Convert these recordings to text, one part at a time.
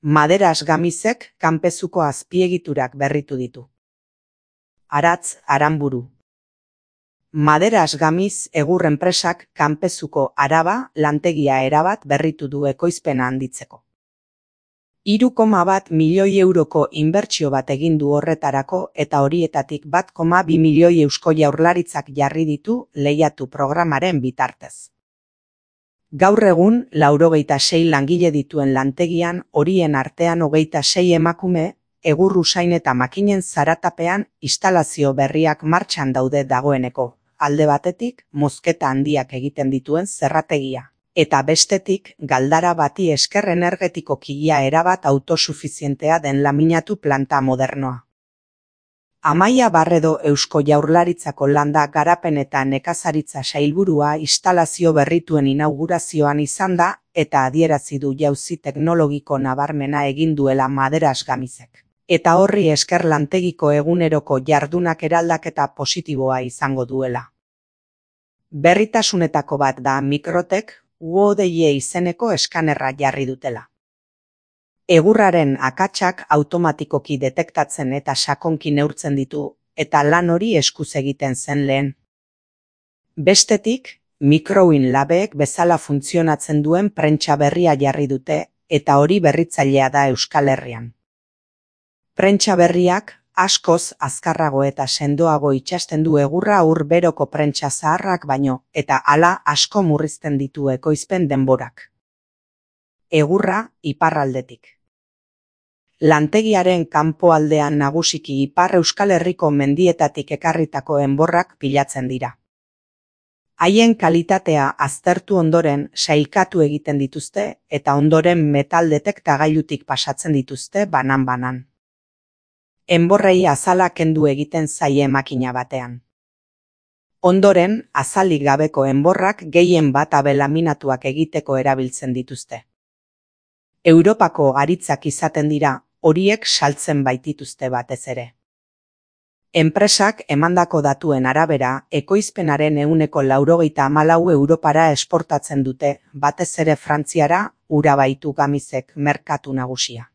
Maderas Gamizek kanpezuko azpiegiturak berritu ditu. Aratz Aranburu. Maderas Gamiz egur enpresak kanpezuko Araba lantegia erabat berritu du ekoizpena handitzeko. 3,1 milioi euroko inbertsio bat egin du horretarako eta horietatik 1,2 milioi Eusko Jaurlaritzak jarri ditu lehiatu programaren bitartez. Gaur egun 96 langile dituen lantegian horien artean 26 emakume, egur usain eta makinen zaratapean instalazio berriak martxan daude dagoeneko, alde batetik mozketa handiak egiten dituen zerrategia, eta bestetik galdara bati esker energetikoki erabat autosufizientea den laminatu planta modernoa. Amaia Barredo Eusko Jaurlaritzako Landa Garapen eta Nekazaritza Sailburua instalazio berrituen inaugurazioan izan da eta adierazi du jauzi teknologiko nabarmena egin duela Maderas Gamizek. Eta horri esker lantegiko eguneroko jardunak eraldaketa positiboa izango duela. Berritasunetako bat da Mikrotek UODE izeneko eskanerra jarri dutela. Egurraren akatsak automatikoki detektatzen eta sakonki neurtzen ditu, eta lan hori eskuz egiten zen lehen. Bestetik, Microwin Labek bezala funtzionatzen duen prentsa berria jarri dute, eta hori berritzailea da Euskal Herrian. Prentsa berriak askoz azkarrago eta sendoago itsasten du egurra beroko prentsa zaharrak baino, eta hala asko murrizten ditu ekoizpen denborak. Egurra iparraldetik. Lantegiaren kanpoaldean nagusiki Ipar Euskal Herriko mendietatik ekarritako enborrak pilatzen dira. Haien kalitatea aztertu ondoren sailkatu egiten dituzte eta ondoren metal detektagailutik pasatzen dituzte banan-banan. Enborrei azala kendu egiten zaie makina batean. Ondoren, azalik gabeko enborrak gehien bat laminatuak egiteko erabiltzen dituzte. Europako haritzak izaten dira, horiek saltzen baitituzte batez ere. Enpresak emandako datuen arabera, ekoizpenaren 94 Europara esportatzen dute, batez ere Frantziara, hura baitu Gamizek merkatu nagusia.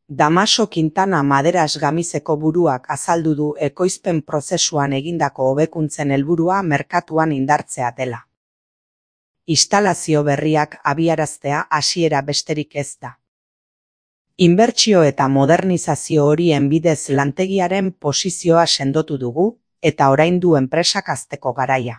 Damaso Quintana Maderas Gamizeko buruak azaldu du ekoizpen prozesuan egindako hobekuntzen helburua merkatuan indartzea dela. Instalazio berriak abiaraztea hasiera besterik ez da. Inbertsio eta modernizazio horien bidez lantegiaren posizioa sendotu dugu, eta orain du enpresak hazteko garaia.